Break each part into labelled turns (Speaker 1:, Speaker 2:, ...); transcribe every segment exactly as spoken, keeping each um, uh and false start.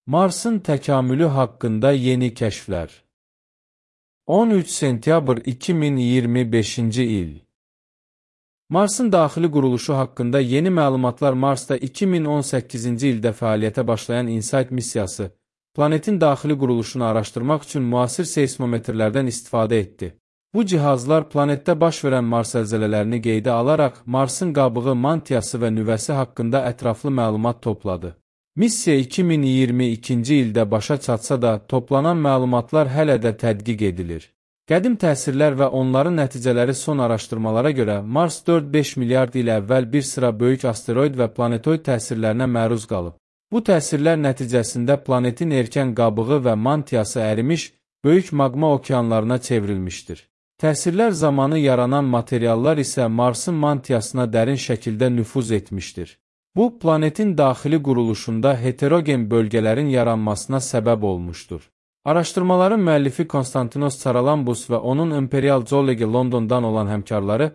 Speaker 1: Marsın təkamülü haqqında yeni kəşflər. on üç sentyabr iki min iyirmi beşinci il. Marsın daxili quruluşu haqqında yeni məlumatlar. Marsda iki min on səkkizinci ildə fəaliyyətə başlayan InSight missiyası, planetin daxili quruluşunu araşdırmaq üçün müasir seismometrlərdən istifadə etdi. Bu cihazlar planetdə baş verən Mars zəlzələlərini qeydə alaraq Marsın qabığı, mantiyası və nüvəsi haqqında ətraflı məlumat topladı. Missiya iki min iyirmi ikinci ildə başa çatsa da, toplanan məlumatlar hələ də tədqiq edilir. Qədim təsirlər və onların nəticələri son araşdırmalara görə Mars dörd beş milyard il əvvəl bir sıra böyük asteroid və planetoid təsirlərinə məruz qalıb. Bu təsirlər nəticəsində planetin erkən qabığı və mantiyası ərimiş, böyük maqma okeanlarına çevrilmişdir. Təsirlər zamanı yaranan materiallar isə Marsın mantiyasına dərin şəkildə nüfuz etmişdir. Bu, planetin daxili quruluşunda heterogen bölgələrin yaranmasına səbəb olmuşdur. Araşdırmaların müəllifi Konstantinos Tsaralambus və onun Imperial Zoology Londondan olan həmkarları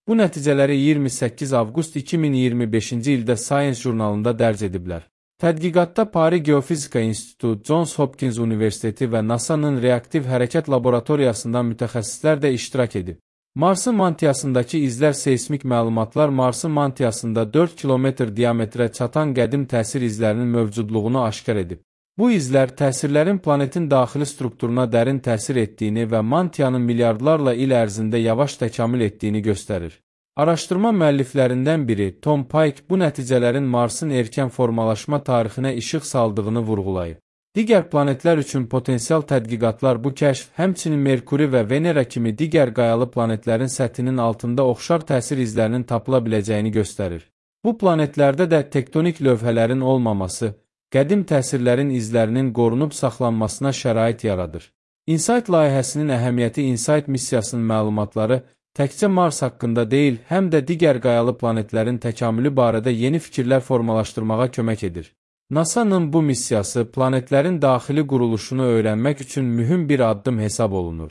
Speaker 1: bu nəticələri iyirmi səkkiz avqust iki min iyirmi beşinci ildə Science jurnalında dərc ediblər. Tədqiqatda Paris Geofizika İnstitutu, Johns Hopkins Universiteti və NASA'nın reaktiv hərəkət laboratoriyasından mütəxəssislər də iştirak edib. Marsın mantiyasındakı izlər seismik məlumatlar Marsın mantiyasında dörd kilometr diametrə çatan qədim təsir izlərinin mövcudluğunu aşkar edib. Bu izlər təsirlərin planetin daxili strukturuna dərin təsir etdiyini və mantiyanın milyardlarla il ərzində yavaş təkamül etdiyini göstərir. Araşdırma müəlliflərindən biri Tom Pike bu nəticələrin Marsın erkən formalaşma tarixinə işıq saldığını vurğulayıb. Digər planetlər üçün potensial tədqiqatlar bu kəşf, həmçinin Merkuri və Venera kimi digər qayalı planetlərin səthinin altında oxşar təsir izlərinin tapıla biləcəyini göstərir. Bu planetlərdə də tektonik lövhələrin olmaması, qədim təsirlərin izlərinin qorunub saxlanmasına şərait yaradır. InSight layihəsinin əhəmiyyəti InSight missiyasının məlumatları təkcə Mars haqqında deyil, həm də digər qayalı planetlərin təkamülü barədə yeni fikirlər formalaşdırmağa kömək edir. NASA'nın bu missiyası planetlərin daxili quruluşunu öyrənmək üçün mühüm bir addım hesab olunur.